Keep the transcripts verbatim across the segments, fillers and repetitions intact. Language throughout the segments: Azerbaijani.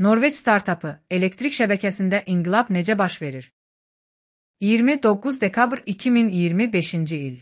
Norveç startapı, elektrik şəbəkəsində inqilab necə baş verir? iyirmi doqquz dekabr iki min iyirmi beşinci il.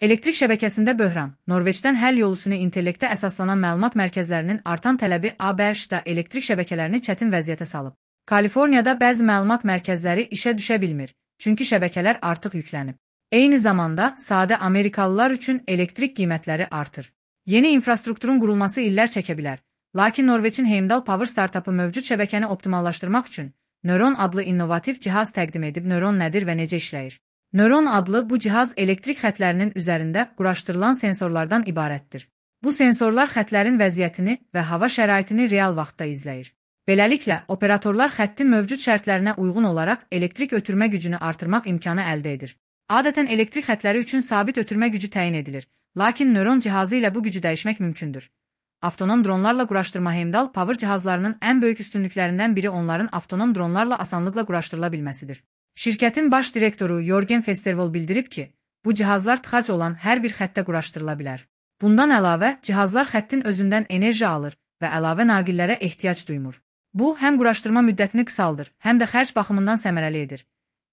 Elektrik şəbəkəsində böhran, Norveçdən həll yolusunu intellektə əsaslanan məlumat mərkəzlərinin artan tələbi A B H-da elektrik şəbəkələrini çətin vəziyyətə salıb. Kaliforniyada bəzi məlumat mərkəzləri işə düşə bilmir, çünki şəbəkələr artıq yüklənib. Eyni zamanda, sadə Amerikalılar üçün elektrik qiymətləri artır. Yeni infrastrukturun qurulması illər çəkə bilər. Lakin Norveçin Heimdall Power startapı mövcud şəbəkəni optimallaşdırmaq üçün Neuron adlı innovativ cihaz təqdim edib. Neuron nədir və necə işləyir? Neuron adlı bu cihaz elektrik xətlərinin üzərində quraşdırılan sensorlardan ibarətdir. Bu sensorlar xətlərin vəziyyətini və hava şəraitini real vaxtda izləyir. Beləliklə, operatorlar xəttin mövcud şərtlərinə uyğun olaraq elektrik ötürmə gücünü artırmaq imkanı əldə edir. Adətən elektrik xətləri üçün sabit ötürmə gücü təyin edilir, lakin Neuron cihazı ilə bu gücü dəyişmək mümkündür. Avtonom dronlarla quraşdırma Heimdall Power cihazlarının ən böyük üstünlüklərindən biri onların avtonom dronlarla asanlıqla quraşdırıla bilməsidir. Şirkətin baş direktoru Jørgen Festervold bildirib ki, bu cihazlar tıxac olan hər bir xəttə quraşdırıla bilər. Bundan əlavə, cihazlar xəttin özündən enerji alır və əlavə naqillərə ehtiyac duymur. Bu, həm quraşdırma müddətini qısaldır, həm də xərc baxımından səmərəli edir.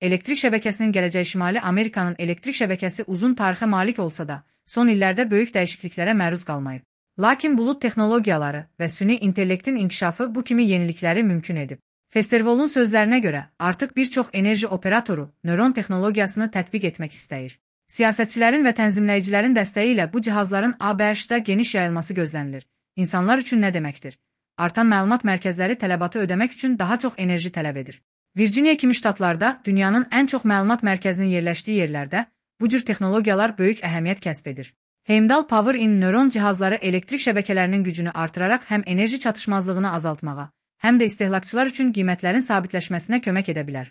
Elektrik şəbəkəsinin gələcəyi Şimali Amerikanın elektrik şəbəkəsi uzun tarixə malik olsa da, son illərdə böyük dəyişikliklərə məruz qalmayıb. Lakin bulud texnologiyaları və süni intellektin inkişafı bu kimi yenilikləri mümkün edib. Festervold'un sözlərinə görə, artıq bir çox enerji operatoru Neuron texnologiyasını tətbiq etmək istəyir. Siyasətçilərin və tənzimləyicilərin dəstəyi ilə bu cihazların A B H-da geniş yayılması gözlənilir. İnsanlar üçün nə deməkdir? Artan məlumat mərkəzləri tələbatı ödəmək üçün daha çox enerji tələb edir. Virginia kimi ştatlarda, dünyanın ən çox məlumat mərkəzinin yerləşdiyi yerlərdə bu cür texnologiyalar böyük əhəmiyyət kəsb edir. Heimdall Power in Neuron cihazları elektrik şəbəkələrinin gücünü artıraraq həm enerji çatışmazlığını azaltmağa, həm də istehlakçılar üçün qiymətlərin sabitləşməsinə kömək edə bilər.